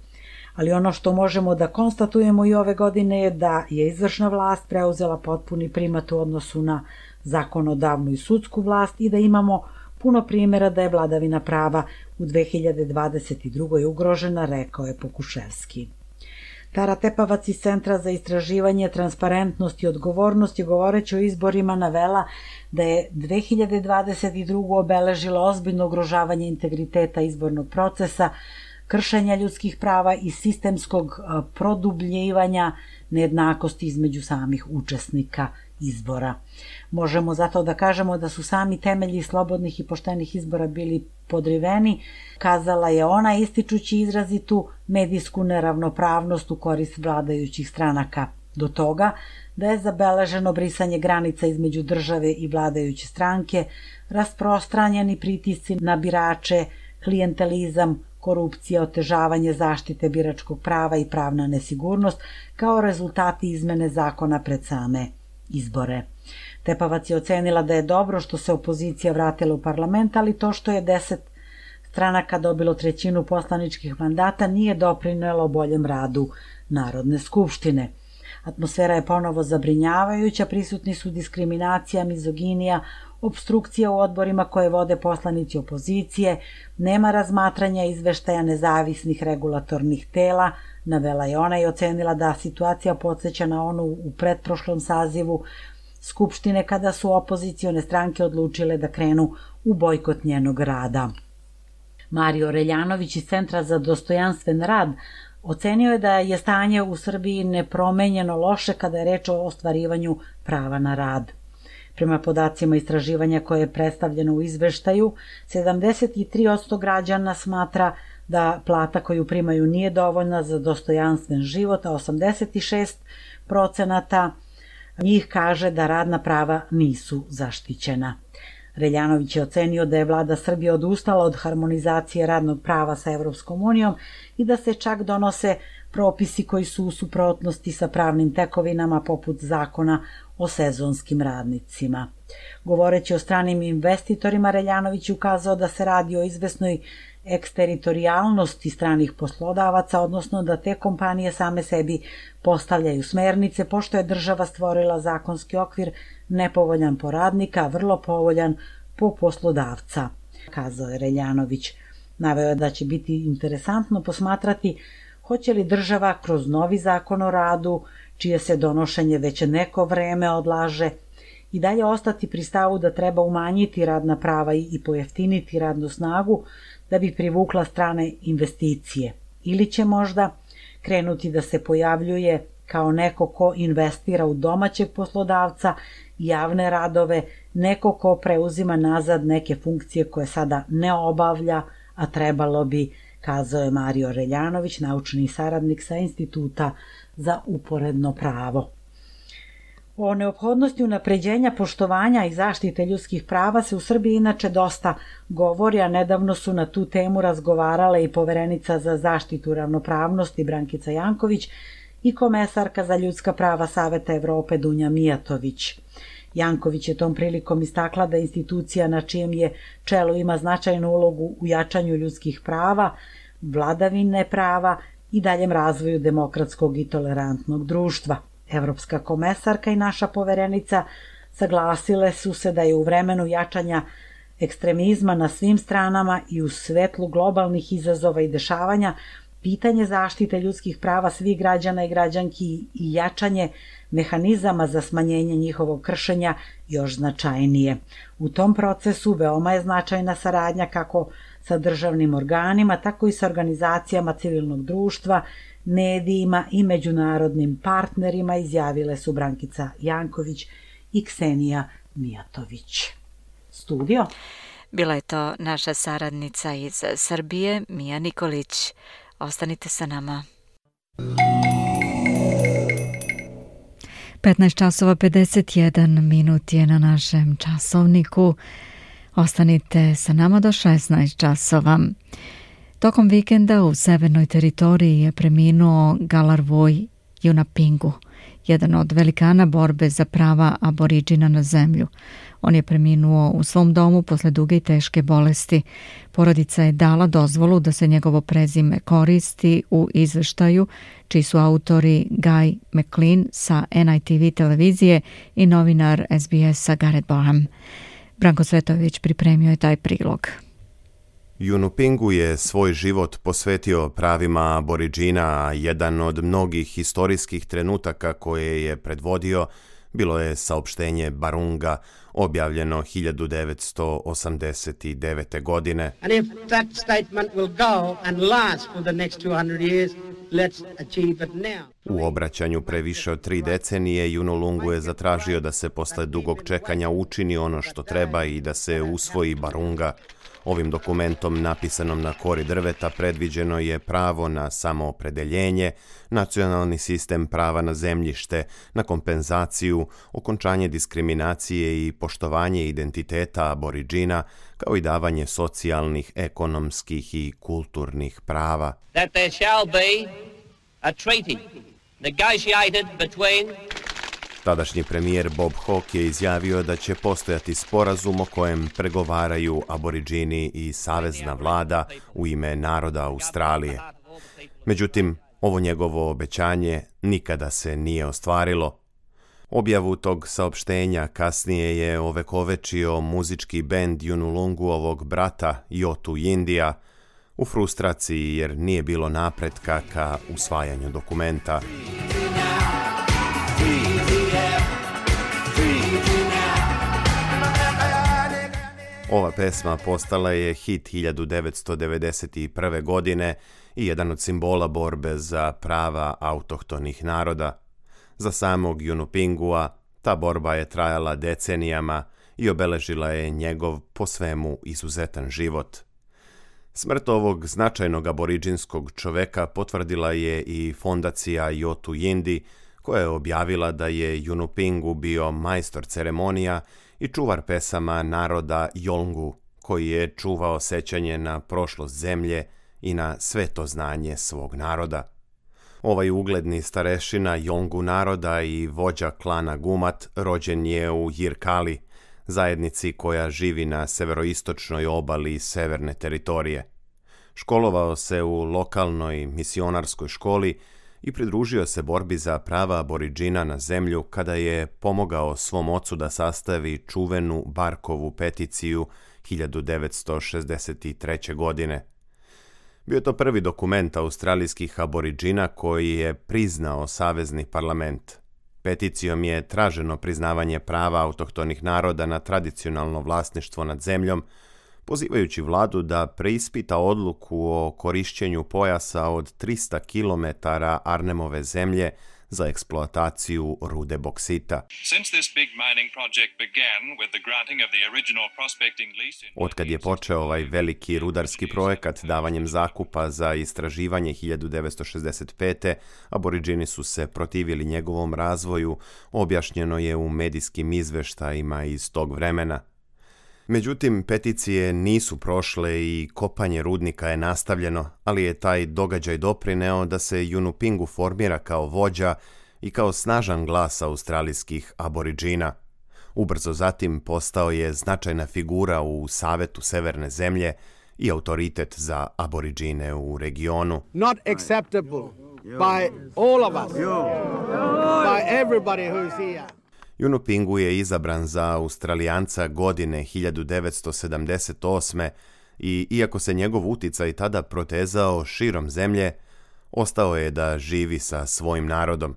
Ali ono što možemo da konstatujemo i ove godine je da je izvršna vlast preuzela potpuni primat u odnosu na zakonodavnu i sudsku vlast i da imamo puno primjera da je vladavina prava u 2022. ugrožena, rekao je Pokuševski. Tara Tepavac iz Centra za istraživanje, transparentnost i odgovornost je, govoreći o izborima, navela da je 2022. obeležilo ozbiljno ugrožavanje integriteta izbornog procesa, kršenja ljudskih prava i sistemskog produbljivanja nejednakosti između samih učesnika izbora. Možemo zato da kažemo da su sami temelji slobodnih i poštenih izbora bili podriveni, kazala je ona, ističući izrazitu medijsku neravnopravnost u korist vladajućih stranaka. Do toga da je zabeleženo brisanje granica između države i vladajuće stranke, rasprostranjeni pritisci na birače, klijentelizam, korupcija, otežavanje zaštite biračkog prava i pravna nesigurnost kao rezultati izmene zakona pred same izbore. Tepavac je ocenila da je dobro što se opozicija vratila u parlament, ali to što je 10 stranaka dobilo 1/3 poslaničkih mandata nije doprinelo boljem radu Narodne skupštine. Atmosfera je ponovo zabrinjavajuća, prisutni su diskriminacija, mizoginija, opstrukcija u odborima koje vode poslanici opozicije, nema razmatranja izveštaja nezavisnih regulatornih tela, navela je ona i ocenila da situacija podsjeća na onu u pretprošlom sazivu Skupštine kada su opozicione stranke odlučile da krenu u bojkot njenog rada. Mario Reljanović iz Centra za dostojanstven rad ocenio je da je stanje u Srbiji nepromenjeno loše kada je reč o ostvarivanju prava na rad. Prema podacima istraživanja koje je predstavljeno u izveštaju, 73% građana smatra da plata koju primaju nije dovoljna za dostojanstven život, a 86% njih kaže da radna prava nisu zaštićena. Reljanović je ocenio da je vlada Srbije odustala od harmonizacije radnog prava sa Evropskom unijom i da se čak donose propisi koji su u suprotnosti sa pravnim tekovinama poput zakona o sezonskim radnicima. Govoreći o stranim investitorima, Reljanović je ukazao da se radi o izvesnoj eksteritorijalnosti stranih poslodavaca, odnosno da te kompanije same sebi postavljaju smernice, pošto je država stvorila zakonski okvir nepovoljan po radnika, a vrlo povoljan po poslodavca, kazao je Reljanović. Naveo je da će biti interesantno posmatrati hoće li država kroz novi zakon o radu, čije se donošenje već neko vreme odlaže, i dalje ostati pri stavu da treba umanjiti radna prava i pojeftiniti radnu snagu da bi privukla strane investicije. Ili će možda krenuti da se pojavljuje kao neko ko investira u domaćeg poslodavca, javne radove, neko ko preuzima nazad neke funkcije koje sada ne obavlja, a trebalo bi, kazao je Mario Reljanović, naučni saradnik sa Instituta za uporedno pravo. O neophodnosti unapređenja poštovanja i zaštite ljudskih prava se u Srbiji inače dosta govori, a nedavno su na tu temu razgovarale i Poverenica za zaštitu ravnopravnosti Brankica Janković i komesarka za ljudska prava Saveta Evrope Dunja Mijatović. Janković je tom prilikom istakla da institucija na čijem je čelu ima značajnu ulogu u jačanju ljudskih prava, vladavine prava i daljem razvoju demokratskog i tolerantnog društva. Evropska komesarka i naša poverenica saglasile su se da je u vremenu jačanja ekstremizma na svim stranama i u svetlu globalnih izazova i dešavanja pitanje zaštite ljudskih prava svih građana i građanki i jačanje mehanizama za smanjenje njihovog kršenja još značajnije. U tom procesu veoma je značajna saradnja kako sa državnim organima, tako i sa organizacijama civilnog društva, medijima i međunarodnim partnerima, izjavile su Brankica Janković i Ksenija Mijatović. Studio. Bila je to naša saradnica iz Srbije, Mija Nikolić. Ostanite sa nama. 15 časova 51 minut je na našem časovniku. Ostanite sa nama do 16 časova. Tokom vikenda u severnoj teritoriji je preminuo Galarvoj Yunupingu, jedan od velikana borbe za prava aboriđina na zemlju. On je preminuo u svom domu posle duge i teške bolesti. Porodica je dala dozvolu da se njegovo prezime koristi u izveštaju, čiji su autori Guy McLean sa NITV televizije i novinar SBS-a Gareth Boham. Branko Svetojević pripremio je taj prilog. Yunupingu je svoj život posvetio pravima aboriđina, a jedan od mnogih historijskih trenutaka koje je predvodio bilo je saopštenje Barunga, objavljeno 1989. godine. And if that statement will go and last for the next 200 years, let's achieve it now. U obraćanju pre više od 3 decenije Yunulungu je zatražio da se posle dugog čekanja učini ono što treba i da se usvoji Barunga. Ovim dokumentom, napisanom na kori drveta, predviđeno je pravo na samoopredeljenje, nacionalni sistem prava na zemljište, na kompenzaciju, okončanje diskriminacije i poštovanje identiteta aboriđina, kao i davanje socijalnih, ekonomskih i kulturnih prava. That there shall be a treaty negotiated between. Tadašnji premijer Bob Hawke je izjavio da će postojati sporazum o kojem pregovaraju aboriđini i savezna vlada u ime naroda Australije. Međutim, ovo njegovo obećanje nikada se nije ostvarilo. Objavu tog saopštenja kasnije je ovekovečio muzički bend Yunulunguovog brata Yotu Yindija u frustraciji jer nije bilo napretka ka usvajanju dokumenta. Ova pesma postala je hit 1991. godine i jedan od simbola borbe za prava autohtonih naroda. Za samog Yunupingua ta borba je trajala decenijama i obeležila je njegov po svemu izuzetan život. Smrt ovog značajnog aboriđinskog čoveka potvrdila je i fondacija Yotu Yindi, koja je objavila da je Yunupingu bio majstor ceremonija i čuvar pesama naroda Yolngu, koji je čuvao sećanje na prošlost zemlje i na sveto znanje svog naroda. Ovaj ugledni starešina Yolngu naroda i vođa klana Gumat rođen je u Yirkali, zajednici koja živi na severoistočnoj obali severne teritorije. Školovao se u lokalnoj misionarskoj školi i pridružio se borbi za prava Aboridžina na zemlju kada je pomogao svom ocu da sastavi čuvenu Barkovu peticiju 1963. godine. Bio je to prvi dokument australijskih Aboridžina koji je priznao savezni parlament. Peticijom je traženo priznavanje prava autohtonih naroda na tradicionalno vlasništvo nad zemljom, pozivajući vladu da preispita odluku o korišćenju pojasa od 300 km Arnhemove zemlje za eksploataciju rude boksita. Otkad je počeo ovaj veliki rudarski projekat davanjem zakupa za istraživanje 1965. Aboridžini su se protivili njegovom razvoju, objašnjeno je u medijskim izveštajima iz tog vremena. Međutim, peticije nisu prošle i kopanje rudnika je nastavljeno, ali je taj događaj doprineo da se Yunupingu formira kao vođa i kao snažan glas australijskih Aboridžina. Ubrzo zatim postao je značajna figura u Savetu Severne zemlje i autoritet za Aboridžine u regionu. Not acceptable by all of us, by everybody who is here. Yunupingu je izabran za Australijanca godine 1978. i iako se njegov uticaj tada protezao širom zemlje, ostao je da živi sa svojim narodom.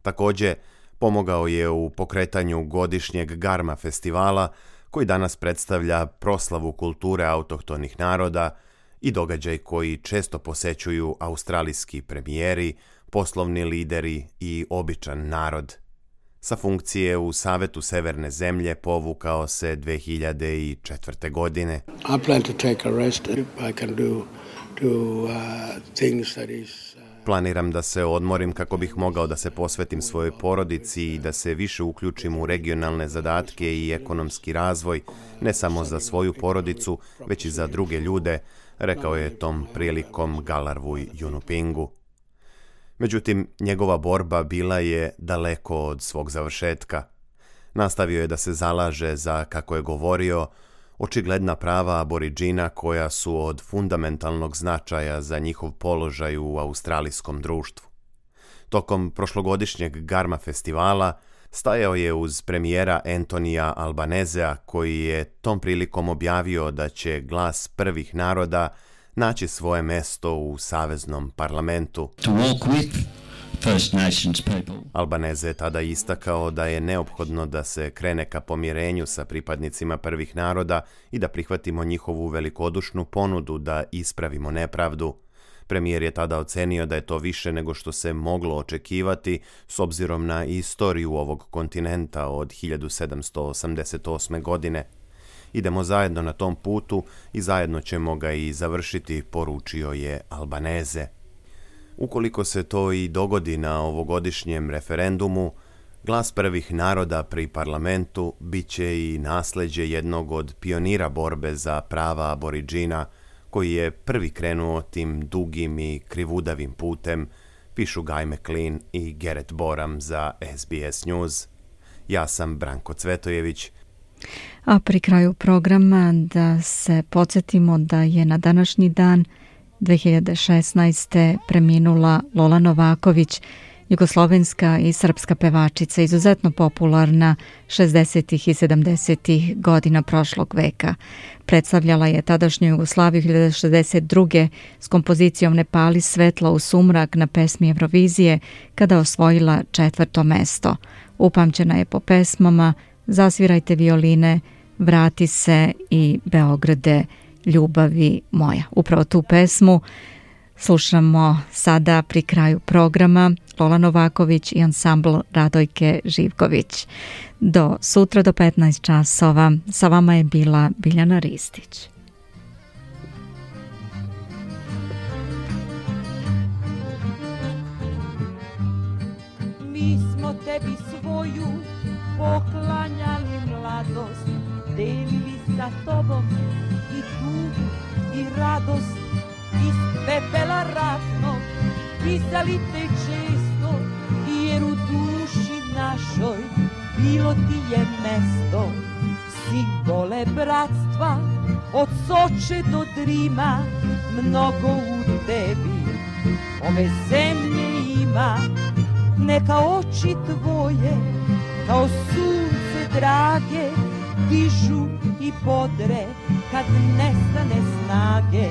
Također, pomogao je u pokretanju godišnjeg Garma festivala, koji danas predstavlja proslavu kulture autohtonih naroda i događaj koji često posećuju australijski premijeri, poslovni lideri i običan narod. Sa funkcije u Savetu Severne zemlje povukao se 2004. godine. I plan to take a rest if I can do things that is Planiram da se odmorim kako bih mogao da se posvetim svojoj porodici i da se više uključim u regionalne zadatke i ekonomski razvoj, ne samo za svoju porodicu, već i za druge ljude, rekao je tom prilikom Galarrwuy Yunupingu. Međutim, njegova borba bila je daleko od svog završetka. Nastavio je da se zalaže za, kako je govorio, očigledna prava Aboridžina koja su od fundamentalnog značaja za njihov položaj u australijskom društvu. Tokom prošlogodišnjeg Garma festivala stajao je uz premijera Antonija Albanezea, koji je tom prilikom objavio da će glas prvih naroda naći svoje mesto u saveznom parlamentu. Albanese je tada istakao da je neophodno da se krene ka pomirenju sa pripadnicima prvih naroda i da prihvatimo njihovu velikodušnu ponudu da ispravimo nepravdu. Premijer je tada ocenio da je to više nego što se moglo očekivati s obzirom na istoriju ovog kontinenta od 1788. godine. Idemo zajedno na tom putu i zajedno ćemo ga i završiti, poručio je Albanese. Ukoliko se to i dogodi na ovogodišnjem referendumu, glas prvih naroda pri parlamentu bit će i nasleđe jednog od pionira borbe za prava Aboridžina, koji je prvi krenuo tim dugim i krivudavim putem, pišu Guy McLean i Gerrit Boram za SBS News. Ja sam Branko Cvetojević. A pri kraju programa da se podsjetimo da je na današnji dan 2016. preminula Lola Novaković, jugoslovenska i srpska pevačica, izuzetno popularna 60. i 70. godina prošlog veka. Predstavljala je tadašnju Jugoslaviju 1962. s kompozicijom Ne pali svetla u sumrak na pesmi Eurovizije, kada osvojila 4. mesto. Upamćena je po pesmama Zasvirajte violine, Vrati se i Beograde, ljubavi moja. Upravo tu pesmu slušamo sada pri kraju programa. Lola Novaković i ansambl Radojke Živković. Do sutra do 15 časova. Sa vama je bila Biljana Ristić. Mi smo tebi svoju poklanjali mladost, delili sa tobom i tugu i radost, iz pepela ratnog pisali te često, jer u duši našoj bilo ti je mesto. Simbole bratstva od Soče do Drima mnogo u tebi ove zemlje ima. Neka oči tvoje kao sunce drage dižu i bodre kad nestane snage.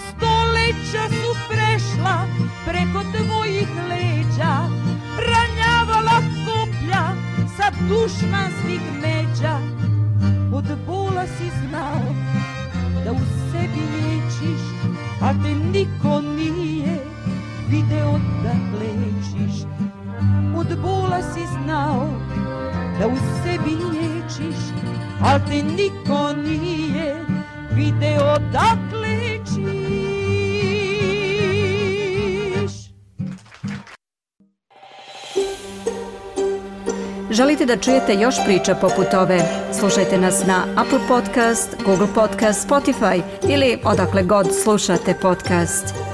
Stoleća su prešla preko tvojih leđa, ranjavala koplja sa dušmanskih međa. Od bola si znao da u sebi liječiš, a te niko nije video da lečiš. Od bola si znao da u sebi liječiš, a te niko nije video da lečiš. Želite da čujete još priča poput ove? Slušajte nas na Apple Podcast, Google Podcast, Spotify ili odakle god slušate podcast.